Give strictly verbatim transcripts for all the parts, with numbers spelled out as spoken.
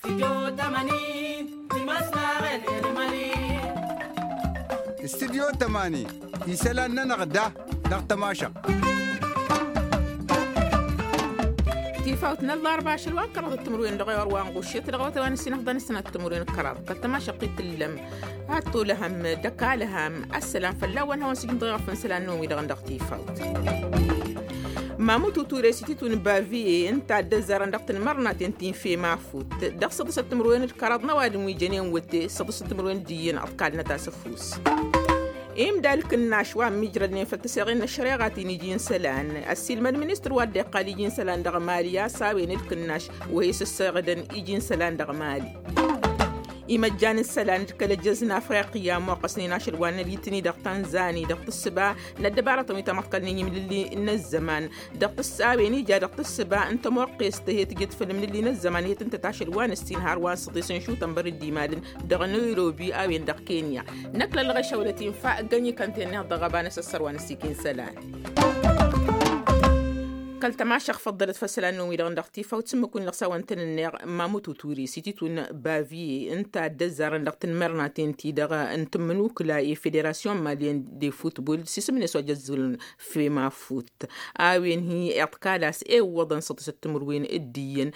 Studyo tămani isălan-nănăɣ da dăɣ-tămašăɣt. Tifawt n-ăllarba ašăl wa n-kăraḍ d-timǝrwen dăɣ-ewăr wa n-ɣušet dăɣ-awătay wa n-ăssinăfḍăn s-sănat timǝrwen d-kăraḍ kăl-tămašăɣt i-tǝllăm. Ad-tolăhăm d-ăkall hăm ăssălam fălla-wăn hawăn-sǝjǝm dăɣ-iɣăf n-isălan-năwăn wi-dăɣ dăɣ-tifawt. Mamut uture s-ititun baviye ǝnta a dd-ăzzarăn dăɣ-tǝnmărnaten ti n-femafut dăɣ-săḍǝsăt timǝrwen d-kăraḍ n-ăwadǝm wi jănen wăte săḍǝsăt timǝrwen d-iyyăn ăḍkalnăt-as ăfuss. Imdal kǝnnaš wa ămmiijrădnen făll-tăseɣen n-ăššăreɣa ti n-iji n-isălan ăssiilmăd ministăr wa dd-iqqal iji n-isălan dăɣ-mali a-s a-wen d-kǝnnaš wa isǝsseɣdăn iji n-isălan dăɣ-mali. Imăjjan n-isălan d-kăl-ăjjăz n-afriqya ămmoqqăsnen ašăl wa n-ălitni dăɣ-tanzani dăɣ-tǝssǝba n-ăddăbarătăn wi tamăḍkălnen imlǝlli n-ăzzăman dăɣ-tǝss a-wen ija dăɣ-tǝssǝba n-tămoqqest he-tǝjǝt făll-imlǝlli n-ăzzăman he-tǝntăt ašăl wa n-ǝssin har wa n-săḍis n-šutăn bărǝd d-imadǝn dăɣ-năyrobi a-wen dăɣ-kenya. Năkk lăllăɣ ešăwlăt infa ǝggăn ikănten-neɣ dăɣ-ăba n-asăssăr wa n-ăssiik i n-isălan. Kăl-tămašăɣ făḍḍălăt făll-isălan-năwăn wi-dăɣ n-dăɣ tifaw d-sǝmmǝk-win-dăɣ s-a-wăn tăn-ǝnneɣ mamut uturi s-ititun baviye ǝnta a dd-ăzzarăn dăɣ-tǝnmărnaten-ti-dăɣ n-tǝmmǝnukǝla i-federasyon malyen de futbol s-isǝm-net wa jăzzǝlăn femafut. A-wen hi-iḍkal a-s ewwăḍăn săḍisăt timǝrwen d-iyyăn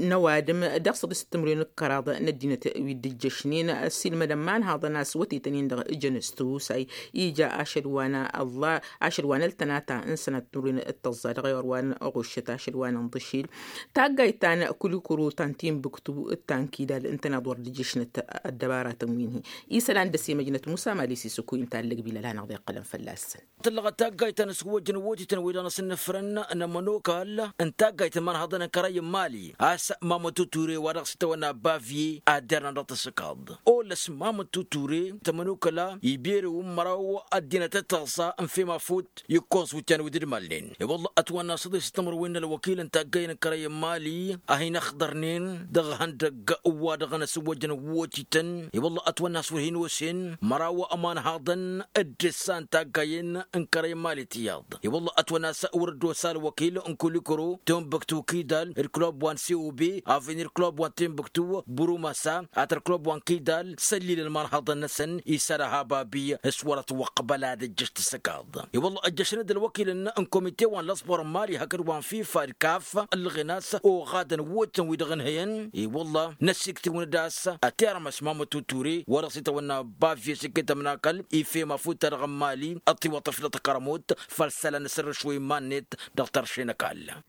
n-ăwadǝm dăɣ-săḍisăt timǝrwen d-kăraḍ n-ăddinăt wi dd-ǝjjăšnen ăssiilmădăn imanhaḍăn a-s wătetăn-in-dăɣ ǝjăn s-tihusay. Ija ašăl wa n-ălla ašăl wa n-ăltănata n-sănat timǝrwen d-tăẓẓa dăɣ-ewăr wa n-ɣuššăt ašăl wa n-inḍǝšil taggayt ta n-kulikuru ta n-tinbǝktu d-ta n-kidal ǝntăneḍ wăr dd-ǝjjǝšnăt ăddăbaratăn wi n-hi isălan d-ăsimăjnăt musa mali s-isǝkuy n-tallăg bila la hanăɣ-dd-iqqălăn fălla-săn. Tǝllăɣăt taggayt ta n-asǝwwăjăn wotităn wi-dăɣ n-asǝnnǝfrăn n-amănokal n-taggayt n-imanhaḍăn n-kărăy n-mali a-s mamăt uture wa dăɣ-s itawănna bavye ad-dernan dăɣ-tǝssǝkaḍ. Olăs mamăt uture tămănokăla iberew n-măraw ăddinăt d-taẓẓa n-femafut ikkoẓ wǝtyan wi dd-mălnen i-wălla ătwănna s-ăḍes tămărwen n-ălwăkil n-taggăyăn n-kărăy n-mali a hin-ăxḍărnen dăɣ-ihăndăgg wa dăɣ-năsǝwwăjăn wotităn i-wălla ătwănna s-wăr hin-osen măraw ămanhaḍăn d-ǝssa n-taggăyăn n-kărăy n-mali tiyyăḍ i-wălla ătwănna s-wăr dd-osa ălwăkil n-kulikuru timbuktu kidal d-klub wa n-cob avenir klub wa n-timbuktu burumasa ad-tăr klub wa n-kidal săllil ălmanhaḍăn-năsăn isăr ăhababi s-wăr ătwăqbăl ad-ǝjjǝš tǝssǝkaḍ i-wălla ăjjăšăn-dd ălwăkilăn n-komite wa n-lăẓbor n-mali hakd wa n-fifa d-kaf ǝllăɣen a-s oɣadăn wotăn-wi-dăɣ ǝnhăyăn i-wălla năssiktǝwăn-dd a-s ătirmăs mamăt uture wa dăɣ-s itawănna bavye s-iket ămnakăl ifem afut-ta-dăɣ n-mali ăṭṭiwăṭ ăflăt kărămut făll-isălan n-asărrǝš wa iman-net dăɣ-tărše n-ăkall.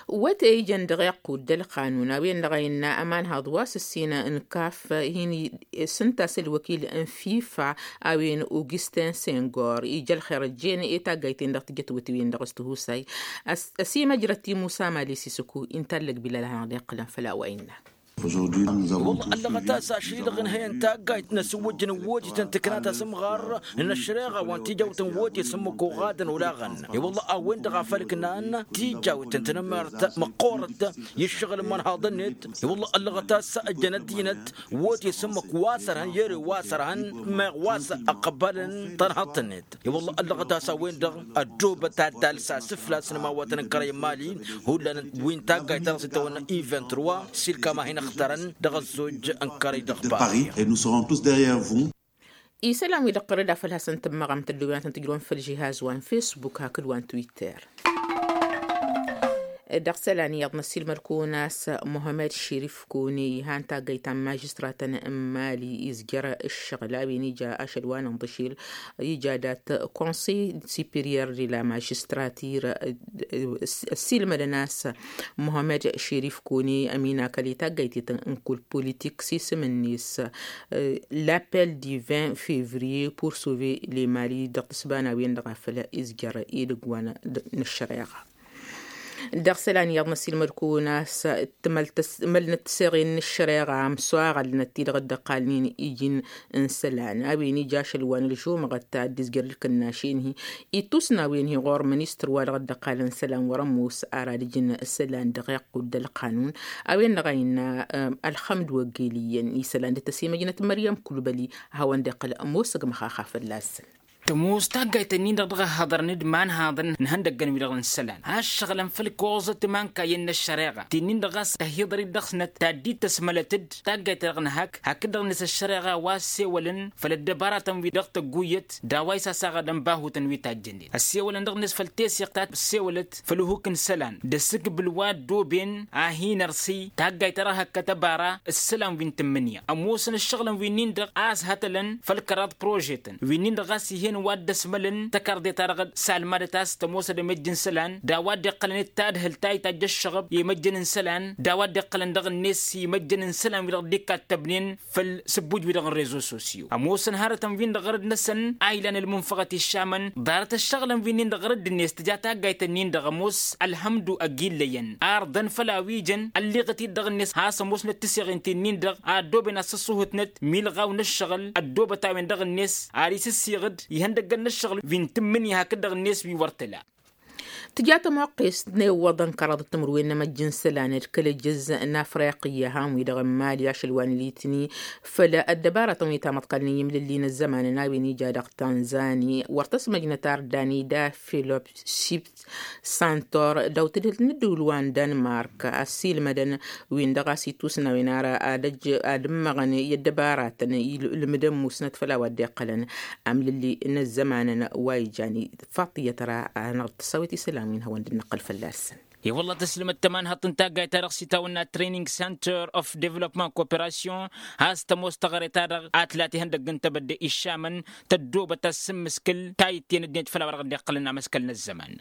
Wăte ijăn dăɣ-iqqud d-ălqanun a-wen-dăɣ a innă ămanhaḍ wa s-ǝssin n-kaf hin-s ǝnta a-s ălwăkil n-fifa a-wen augustin sengor ija ălxer ăjjeen i-taggayt-en dăɣ-tijăt wăte-wen-dăɣ s-tihusay. Ăsimăjrăt i-musa mali s-isǝku intallăg bila la hanăɣ-dd-iqqǝlăn făll-a-wa innă. Wălla ăllăɣăt a-s ašăl-i-dăɣ ǝnhăyăn taggayt n-asǝwwăjjăn n-wotităn tǝkna tasǝmɣar n-ăššăreɣa wa n-tijawt n-wote s-ǝmmǝk oɣadăn olaɣăn i-wălla a-wen-dăɣ a făl ǝknan tijawt n-tanămmert măqqoorăt i-ǝššăɣǝl n-imanhaḍăn-net. I-wălla ăllăɣăt a-s ăjjăn ăddinăt wote s-ǝmmǝk wa s-ărhăn i-ere wa s-ărhăn meɣ wa s-ăqqăbălăn tănhăḍt-net. I-wălla ăllăɣăt a-s a-wen-dăɣ ăddoobăt ad-talsa s-făl-a-s n-imawătăn n-kărăy n-mali hullan wi n-taggayt ta dăɣ-s itawănna i-vingt-trois s-ilkam a hin-ăxtărăn dăɣ-ăzzoj n-kărăy dăɣ-paris. Isălan wi-dăɣ tărrăd a făl hasăn-tǝmmăɣăm tălluwăn ad-tăn-tǝjrǝwăn făll-žihaz wa n-fesbuk hakd wa n-twitter. Dăɣ-isălan iyyăḍ n-ăssiilmăd-kăwăn a-s muhămmăd šerif kăwăn-i han taggăyt ta n-mažistratăn n-mali izjăr ǝššăɣǝl a-wen ija ašăl wa n-inḍǝšel ija dat-konsey superior de la magistratir. Ăssiilmădăn a-s muhămmăd šerif kăwăn-i ăminakăl i-taggăyt-i-tăn n-kull politik s-isǝm-net. L'appel du vingt février pour sauver le mali dăɣ-tǝsba n-a-wen-dăɣ a făl izjăr idǝgg wa n-ăššăreɣa. Dăɣ-isălan iyyăḍ n-ăssiilmăd-kăwăn a-s tǝmăl-tăs tǝmăl n-ăttăseɣen n-ăššăreɣa ămsoaɣălnăt-ti-dăɣ dd-ăqqalnen iji n-isălan a-wen ija ašăl wa n-ălžumăɣăt ta dd-izjăr d-kănnašen-hi. Ittus n-a-wen-hi ɣur-ministăr wa dăɣ-dd-ăqqalăn isălan wăr-ămoos ara d-ǝjǝn isălan dăɣ-iqqud d-ălqanun. A-wen-dăɣ a innă ălxămd wăggel iyyăn isălan dd-tăsimăjnăt măryăm kulbăli a hawăn-dd-iqqăl ămoos ăgg-măxaxa fălla-săn. Tămoos taggayt-nin-dăɣ dăɣ-ăhhăḍărăn d-imanhaḍăn n-ihăndăggăn-wi-dăɣ n-isălan a ǝššăɣǝlăn făll-ikoẓăt imankayyăn n-ăššăreɣa ti-nin-dăɣ ɣas tăhiḍărit dăɣ-snăt ta dd-tăsmălăt-dd taggayt-ta-dăɣ n-hak hak-dăɣ-net ăššăreɣa wa ăssewălăn făll-ăddăbaratăn-wi-dăɣ tăgguyyăt d-a-wa isasaɣădăn bahutăn wi tajjănen ăssewălăn dăɣ-net făll-teseɣt ta ăssewălăt făll-uhuk n-isălan d-asǝkbǝl wa ăddooben a hin-ărsi taggayt-ta-dăɣ hăkkăt ăbara ǝssălan wi n-tǝmmǝnǝya ămoosăn ǝššăɣǝlăn wi-nin-dăɣ a ăshătălăn făll-kăraḍ prožetăn wi-nin-dăɣ ɣas ih'-en wa dd-ăsmălăn tăkarḍe-ta-dăɣ s-almadăt a-s tămoosăd emăjj n-isălan d-a-wa dd-iqqălăn d-tadhǝlt ta itajj ăššăɣăb i-imăjjăn n-isălan d-a-wa dd-iqqălăn dăɣ-net i-imăjjăn n-isălan-wi-dăɣ dd-ikkattăbnen făll-sǝbbuj-wi-dăɣ n-rezo sosyo ămoosăn hărătăn-win-dăɣ ɣărăd-năsăn a ilan ǝlmunfăɣăt iššamăn ḍarăt ăššăɣǝlăn wi-nin-dăɣ ɣărăd-net tǝja taggayt-nin-dăɣ ămoos ălhămdu ăgg-illăyăn arḍăn făll-a-wi jăn ălliɣăt-dd dăɣ-net has-ămoosnăt tiseɣin ti-nin-dăɣ a ăddooben ad-săṣṣuhǝtnăt milɣaw n-ǝššăɣǝl ăddoobăt a-wen dăɣ-net ar isǝssiɣ-dd ihăndăggăn n-ǝššăɣǝl wi n-tǝmmǝnǝya hakd-dăɣ-net wi wăr tǝla. Tǝja tămoqqest n-ewwăḍăn kăraḍăt timǝrwen n-emăjj n-isălan d-kăl-ejăz n-afriqǝyya han-wi-dăɣ n-mali ašăl wa n-litni făll-ăddăbaratăn wi tamăḍkalnen i-imlǝlli n-ăzzămanăn a-wen ija dăɣ-tanzani wăr tăsmăjnăt ar dani da filopsip santor dăw-tǝdhǝlt n-ǝddǝwǝl wa n-dănmark ăssiilmădăn wi n-dăɣ-a-s ittusnawen ar ad-ăjj ad-ǝmmăɣăn i-ăddăbaratăn ilmǝdăn musnăt făll-a-wa dd-iqqălăn amlǝlli n-ăzzămanăn wa ijan ifaṭṭǝyăt ra ad-năɣ-tăsawet isălan wi n-hawăn dd-nǝqqăl fălla-săn. I-wălla tăslǝmăt tămanhăḍt n-taggayt-ta-dăɣ s-itawănna training center of development cooperation has-tămoos taɣăre-ta-dăɣ a tǝla tihăndăgg n-tebădde iššamăn tăddoobăt ad-sǝmmǝskǝl tayǝtten ăddinăt făll-a-wa dăɣ-dd-iqqălăn amăskăl n-ăzzăman.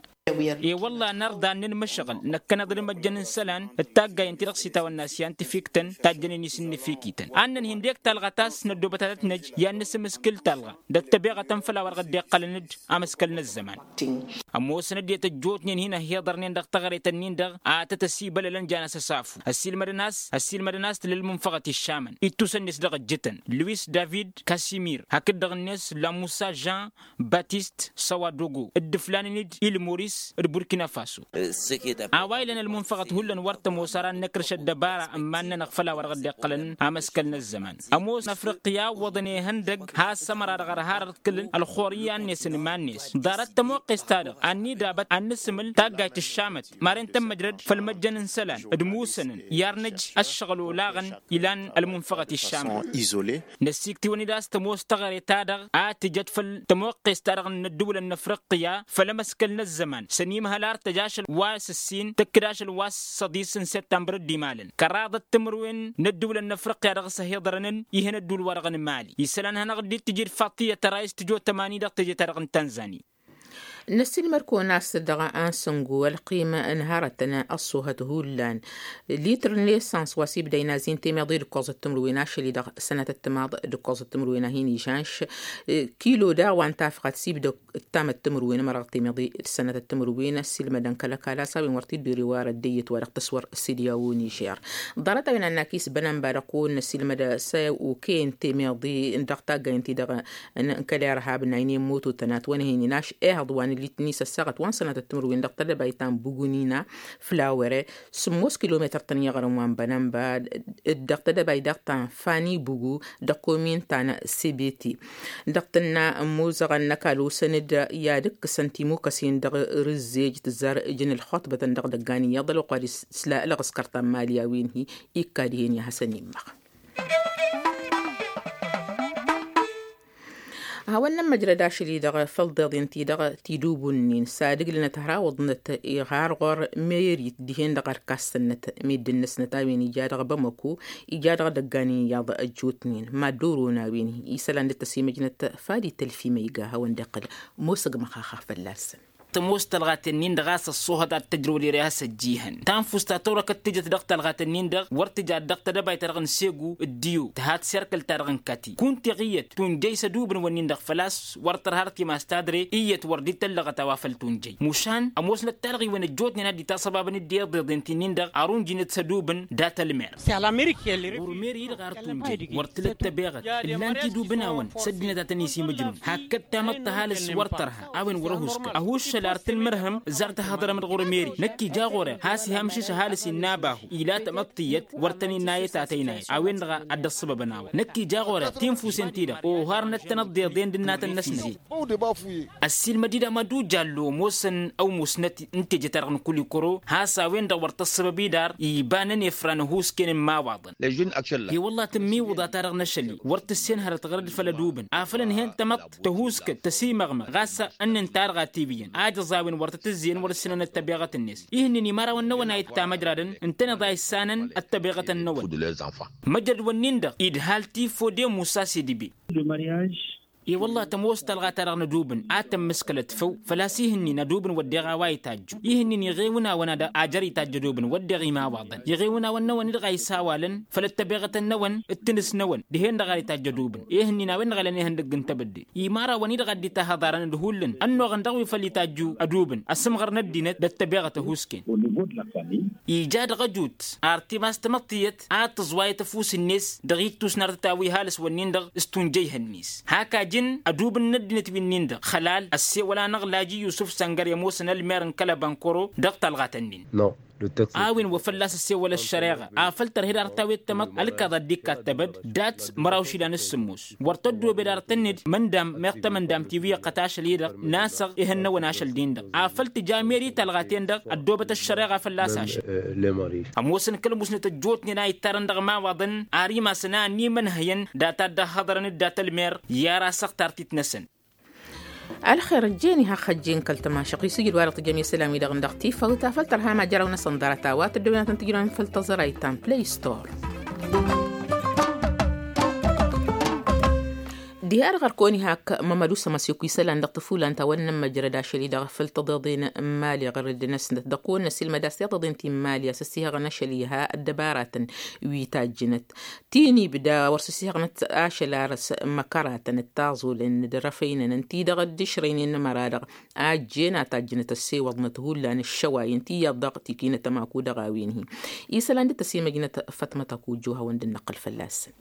I-wălla nărḍa n-inmǝšɣǝl năkkăneḍ d-imăjjăn n-isălan d-taggayen-ti-dăɣ s-itawănna syantifiktăn tajjănen isǝnnǝfikităn ad-nǝnhǝy ǝndek talɣa ta s-năddoobăt ad-tăt-năj i-ad-nǝsǝmmǝskǝl talɣa d-ăttăbeɣătăn făll-a-wa dăɣ-dd-iqqălăn-dd amăskăl n-ăzzăman. Ămoosăn ăddinăt ăjjootnen hin-ăhhiḍărnen dăɣ-taɣăret-nin-dăɣ a tăt-ăsibălălăn jan asăsafu ăssiilmădăn a-s ăssiilmădăn a-s tǝla ălmunfăɣăt iššamăn ittusăn-net dăɣ-ăjjǝtăn luis david kasimir hakd-dăɣ-net lamusa jean batist săwadogo d-ǝflanen-dd il-moris d-burkina faso. A-wa ilăn ălmunfăɣăt hullan wăr tămoos ara n-inǝkrǝš ăddăbara n-iman-nănăɣ făll-a-wa dăɣ-dd-iqqălăn amăskăl n-ăzzăman ămoos n-afriqya ǝwwăḍăn ihăndăgg has-ămăra-dăɣ ărharăt kǝlăn ălxor iyyăn-net n-iman-net ḍarăt tămoqqes-ta-dăɣ ad-nidabăt ad-nǝsǝmǝl taggayt ǝššamăt maren tămmăjrăd făll-imăjjăn n-isălan d-imusănăn i-arnăj ăššăɣǝl olaɣăn ilan ălmunfăɣăt iššamăn. Năssiiktiwăn-dd a-s tămoos taɣăre-ta-dăɣ a tǝjăt făll-tămoqqes-ta-dăɣ n-ăddǝwǝlăn n-afriqya făll-emăskăl n-ăzzăman s-ănimhăl ar tăj ašăl wa s-ǝssin tǝkkǝd ašăl wa s-săḍis n-săttămbăr dd-imalăn kăraḍăt timǝrwen n-ăddǝwǝlăn n-afriqya dăɣ-s ăhiḍărănăn ih'-en ădduul-wa-dăɣ n-mali isălan hanăɣ-dd-tǝjǝd faṭṭiyyăt ăray s-tǝjo tămani dăɣ-teje-ta-dăɣ n-tanzani. Năssiilmăd-kăwăn a-s dăɣ-ansǝngu ălqim n-hărătăn ăṣṣuhăt hullan litr n-esăns wa s-ibda inazi n-temeḍe d-ǝkkoẓăt timǝrwen ašăl-i-dăɣ sănătăt timaḍ d-ǝkkoẓăt timǝrwen a hin-ižanš kilo daɣ wa n-tafɣat s-ibda ǝttamăt timǝrwen ămăra dăɣ-temeḍe d-sănătăt timǝrwen ăssiilmădăn kăl-ăkall a-s a-wen wăr t-dd-ori warăt d-eyyăt wa dăɣ-tăswăr s-idyaw n-ižer. Ḍarăt-a-wen a n-akis bănănba dăɣ-kăwăn-năssiilmăd s-okăyăn temeḍe n-dăɣ-taggayăn-ti-dăɣ n-kăl-irhab n-aynen mototăn a t-wănhăynen ašăl ehăḍ wa n-litni s-ăssaɣăt wa n-sănatăt timǝrwen dăɣ-tedăbayt ta n-bugunina flawere sǝmmos kilometăr-tăn i-iɣrǝm wa n-bănănba d-dăɣ-tedăbayt daɣ ta n-fani bugu dăɣ-komin ta n-sebeti. Dăɣ-tǝnna ămmuzăɣăn n-ăkall osăn-dd i-ad-ǝkkǝsăn timukăsen dăɣ-rǝzzej tǝzzar ǝjǝn ǝlxuṭbătăn dăɣ-idăggan iyyăḍ ălwăqq wa d-isla ălɣǝskăr ta n-mali a-wen-hi ikka dihen i-ad-hasăn-immaɣ. Hawăn-nămmăjrăd ašăl-i-dăɣ făll-iḍeḍen-ti-dăɣ tidubǝnnin s-ad-ǝglǝnăt har awǝḍnăt iɣar ɣur-merit dihen-dăɣ ărkassănăt meddǝn-năsnăt a-wen ija dăɣ-bamăko ija dăɣ-idăggan iyyăḍ ăjjootnen mad-dd-oron a-wen-hi isălan dd-tăsimăjnăt fad itălf i-măyga hawăn-dd-iqqăl. Musǝgmăx axa fălla-săn. Tămoos tălɣaten-in-dăɣ a-s ăṣṣuhăt ad-tăjrăw d-ere a-s ăjjihăn tanfust ta tawrăkăt tǝjăt dăɣ-tălɣaten-in-dăɣ wăr tǝja dăɣ-tedăbayt-ta-dăɣ n-segu d-diyo tǝhat serkǝl-ta-dăɣ n-kati kunta iɣiyyăt tunjăy s-ădubǝn-wǝnnin-dăɣ făl-a-s wăr tărha arăt imas tadre iyyăt wăr dd-tăllăɣăt a-wa făl tunjăy mušan ămoosnăt talɣiwen ăjjootnen ad-dd-itasăbabăn d-iḍeḍen ti-nin-dăɣ ar unjǝynet s-ădubǝn dat-ălmer. Ɣur-meri idɣar tunjăy wăr tǝlăt tăbeɣăt ǝllan tidubǝn-awăn s-ăddinăt ad-tăn-isimǝjrǝwăn hakd tamăḍt tăhalǝs wăr tărha a-wen wăr-ăhuskăl ăhuššăl. Lar tǝlmǝrhǝm zar tăhhăḍrăm d-ɣur-meri năkk ija ɣur-e has-iha mǝšǝš ăhalǝs innă abahu ila tamăḍt tiyyăt wăr tăn-innă i-tatăynayăt a-wen-dăɣ. Ad-dd-ăṣṣăbăbăn a-wa năkk ija ɣur-e tinfusen-ti-dăɣ oharnăt-tăn ăḍḍeḍen d-ǝnnatăn-năsnăt. Ăssiilmăd-dd amadu jallo ămoosăn ăwmusnăt n-teje-ta-dăɣ n-kulikuro has-a-wen-dăɣ wăr tăṣṣăbăb idar iba n-ănefra n-ăhuusken n-imawaḍăn. I-wălla tǝmmiwǝḍa-ta-dăɣ n-ašăl-i wăr tǝssenhărăt ɣărăd făll-ădubǝn afăl ǝnhăyăn tamăḍt tăhuuskăt tăsimăɣmăɣ ɣas ănnin-ta-dăɣ a tibǝyyăn ajăẓ a-wen wăr tăt-ǝzzeyăn wăr-ǝssinăn ăttăbeɣăt-net. Ihǝnnin imărawăn-năwăn a ittamăjradăn ǝntăneḍ a issanăn ăttăbeɣătăn-năwăn. Măjrăd-wǝnnin-dăɣ idhal tifo d-emusa s-idǝbe. I-wălla tămoos talɣa-ta-dăɣ n-ădubǝn a tămmǝskălăt făw făl-a-s ihǝnnin ădubǝn wădden a-wa itajju ihǝnnin iɣewǝn-awăn ad-ajăr itajj ădubǝn wădden imawaḍăn iɣewǝn-awăn-năwăn-i-dăɣ a isawalăn făll-ăttăbeɣătăn-năwăn d-tinǝs-năwăn dihen-dăɣ a itajj ădubǝn. Ihǝnnin a-wen-dăɣ a lăn ihăndăgg n-tebădde imărawăn-i-dăɣ a dd-itahăḍarăn d-hullan ănnuɣăn dăɣ-wi făll-itajju ădubǝn ăsǝmɣăr n-ăddinăt d-ăttăbeɣăt ăhuusken. Ija dăɣ-ăjut ar timas tamăḍt tiyyăt ad-tǝẓwayăt ăfuss-net dăɣ-ittus n-artăt a-wa ihalǝs-wǝnnin-dăɣ s-tunjăy ihăn-net hak ajǝn ădubǝn n-ăddinăt wi-nin-dăɣ xălal ăssewăl-anăɣ laji yusǝf săngăr i-ămoosăn ălmer n-kăl-ăbankoro dăɣ-talɣat-nin. A-wen wa fălla-s ăssewăl ăššăreɣa afăl tărhed ar tawet tamăḍt ălkaḍa dd-ikkattăbăd dat-măraw išilan s-sǝmmos wăr tăddoobed ar tănned măndam meɣ tamăndamt i-wi iqqăt ašăl-i-dăɣ n-asăɣ ihănnăwăn ašăl-din-dăɣ afăl tǝja meri talɣa-ten-dăɣ ăddoobăt ăššăreɣa fălla-s ašăl. Ămoosăn kăl-musnăt ăjjootnen a ittarăn dăɣ-imawaḍăn ar imasăn a ănimănhăyăn data dd-ăhhăḍărăn d-data ălmer i-ar asăɣ tartit-năsăn. Ălxer ăjjeen iha ăxxăjjeen kăl-tămašăɣt isǝjǝd wa-dăɣ tǝjjăm i-isălan-wi-dăɣ n-dăɣ tifăwt afăl tărha majăraw-năsăn ḍarăt a-wa tăddăwănatăn tǝjrăwăn făll-tăẓrayt ta n-play store. Diha-dăɣ ărkăwăn-i hak mămădu s-ămăsek wi isălan dăɣ-tăfulan ta wăr nǝmmăjrăd ašăl-i-dăɣ făll-tăḍeḍen n-imali ɣărăd-năsnăt dăɣ-kăwăn-năsilmăd a-s tiḍeḍen ti n-imali a-s ăssihăɣăn ašăl iha ăddăbaratăn wi tajjǝnăt ti n-ibda wăr s-ăssihăɣnăt ašăl arăs măkăratăn d-taẓulen d-răfăynăn ǝnta-i-dăɣ dd-išrăynen n-emăra-dăɣ a ăjjeen a tajjǝnăt ăssewăḍnăt hullan ǝššăway ǝnta iyyăḍ dăɣ-tikinăt ămaku dăɣ-a-wen-hi. Isălan dd-tăsimăjnăt fătmăt ăkujju hawăn-dd-năqqǝl fălla-săn.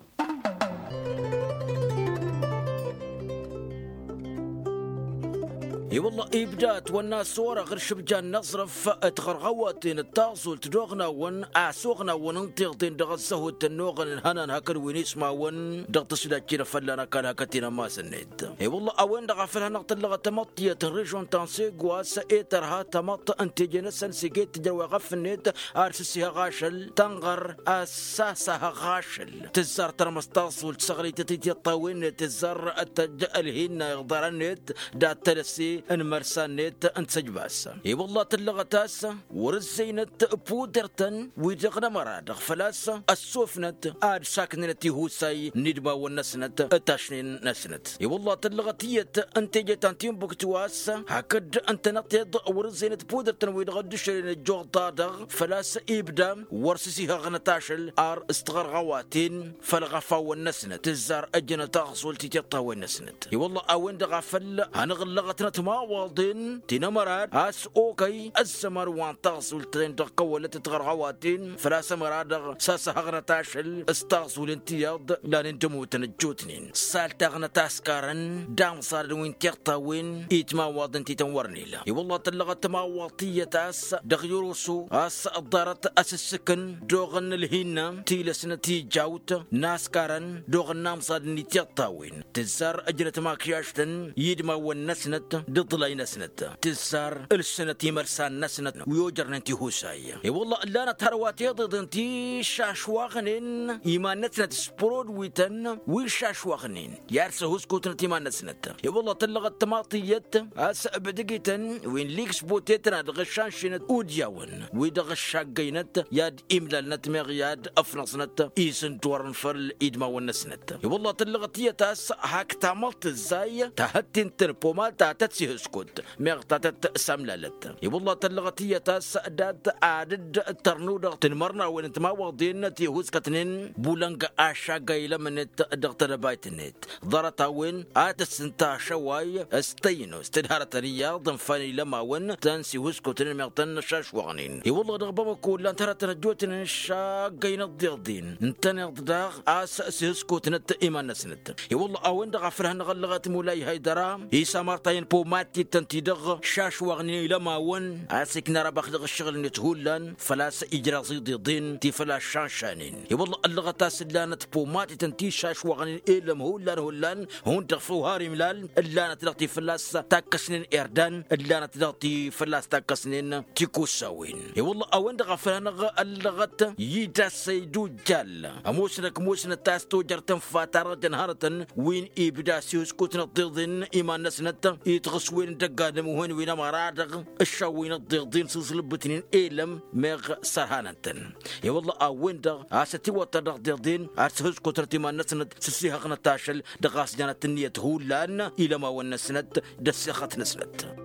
I-wălla ibda ătwănna s-orăɣ d-šǝbjan n-aẓrǝf d-tiɣărɣăwăten d-taẓult d-oɣnawăn a-s oɣnawăn n-tiḍen dăɣ-ăzzăhut ănnuɣăn ǝnhănan hakd wi n-ismawăn dăɣ-tǝsdajt-i-dăɣ fălla-năɣ kăl-hakăt-in ămmas-net. I-wălla a-wen-dăɣ a făl hanăɣ-tǝllăɣăt tamăḍt tiyyăt n-režion ta n-segwas i-tărha tamăḍt n-teje-năsăn s-iget tǝjrăw iɣăf-net ar s-ǝssihăɣ ašăl tănɣăr a-s sasahăɣ ašăl tǝzzar tărmăs taẓult săɣrăytăt i-tiṭṭawen-net tǝzzar ad-tăjj ălhinna iɣḍarăn-net dat-tălăse n-imărsan-net n-săjbas. I-wălla tǝllăɣăt a-s wăr-ǝzzăynăt pudăr-tăn wi-dăɣ n-ămăra-dăɣ făl-a-s ăssofnăt ad-saknănăt ihusay n-idmawăn-năsnăt d-tašnen-năsnăt. I-wălla tǝllăɣăt tiyyăt n-teje ta n-timbuktu a-s hakd ǝntăneḍ-t-dd wăr-ǝzzăynăt pudăr-tăn wi-dăɣ dd-ǝšrăyăn ăjjuḍa-dăɣ făl-a-s ibda wăr s-ăsihăɣnăt ašăl ar s-tiɣărɣăwaten făll-iɣăfawăn-năsnăt tǝzzar ăjjănăt aɣẓul ti tiṭṭawen-năsnăt. I-wălla a-wen-dăɣ a făl hanăɣ-ǝllăɣătnăt imawaḍen ti n-ămăra a-s okăy ăzzăman wa n-taẓult-ten-dăɣ kăwălăt tiɣărɣăwaten făl-a-s ămăra-dăɣ sasăhăɣnăt ašăl s-taẓulen tiyyăḍ lanen d-ămutăn ăjjootnen saltaɣnăt askarăn d-amẓadăn wi n-tiṭṭawen i-timawaḍen ti tăn-wăr nila. I-wălla tǝllăɣăt timawaḍ tiyyăt a-s dăɣ-irusu a-s ḍarăt asǝssǝkǝn d-oɣăn ălhinna tilăsnăt ijawt n-askarăn d-oɣăn n-amẓadăn i-tiṭṭawen tǝzzar ăjnăt makyaštăn i-idmawăn-năsnăt d-iḍlay-năsnăt tǝzzar ǝlsǝnăt imărsan-năsnăt wi ojărnen tihusay. I-wălla ǝllanăt hărwa tiḍeḍen ti iššašwaɣnen iman-năsnăt s-prodwităn wi iššašwaɣnen i-ad-săhuskutnăt iman-năsnăt. I-wălla tǝllăɣăt tamaḍt iyyăt a-s bǝdǝgităn wi n-liksbutetna dăɣ-iššanšinăt udyawăn wi dăɣ-iššaggăynăt i-ad-imlalnăt meɣ i-ad-ăfnăẓnăt isǝndorăn făll-idmawăn-năsnăt. I-wălla tǝllăɣăt iyyăt a-s hak tamăḍt tǝzzay tahăttint n-pomal ta tăt-sihǝskut meɣ ta tăt-samlalăt. I-wălla tǝllăɣăt iyyăt a-s dat-ad-dd-tărnu dăɣ-tinmărnawen n-timawaḍen ti huskătnen bulăng ašagga ilămnet dăɣ-tedăbayt-net ḍarăt-a-wen ad-tăssǝnta ašăway s-tăynos tǝdhărătăn iyyăḍ ǝnfan ilămawăn tăn-sihuskutnen meɣ tăn-năšašwăɣnen. I-wălla dăɣ-bamăko ǝllan-t hărătăn ăjjootnen n-išaggăynăt d-iḍen ǝntăneḍ daɣ a-s sihuskutnăt iman-năsnăt. I-wălla a-wen-dăɣ a făl hannăɣ-ăllăɣăt mulay haydăra isamartayăn poma Ad-t-tăn-ti-dăɣ šašwaɣnen ilămawăn a-s ikna răbax dăɣ-ǝššăɣǝl-net hullan făl-a-s ijraẓ iḍeḍen ti făl-a-s šanšanen. I-wălla ăllăɣăt a-s ǝllanăt pomatităn ti šašwaɣnen elăm hullan hullan hundăɣ făw har imlal ǝllanăt dăɣ-ti făl-a-s takkăsnen irdan ǝllanăt dăɣ-ti făl-a-s takkăsnen tikusawen. I-wălla a-wen-dăɣ a făl-hanăɣ ăllăɣăt i-dd-assăy d-ujjal ămoosnăk ămoosnăt a-s tojăr tănfa ta dăɣ-jăn hărătăn wi n-ibda s-ihǝskutnăt tiḍen iman-năsnăt i-tiɣǝswen n-dăgg-adǝm wen wi n-ămăra-dăɣ ǝššawwăynăt tiḍen s-iẓlǝbbǝtnen elăm meɣ sărhanăn-tăn. I-wălla a-wen-dăɣ a-s ătiwăṭṭăr dăɣ-tiḍen ad-sǝhǝskutnăt iman-năsnăt s-ăssihăɣnăt ašăl dăɣ-a-s janăt ǝnniyăt hullan ilămawăn-năsnăt d-ăssixăt-năsnăt.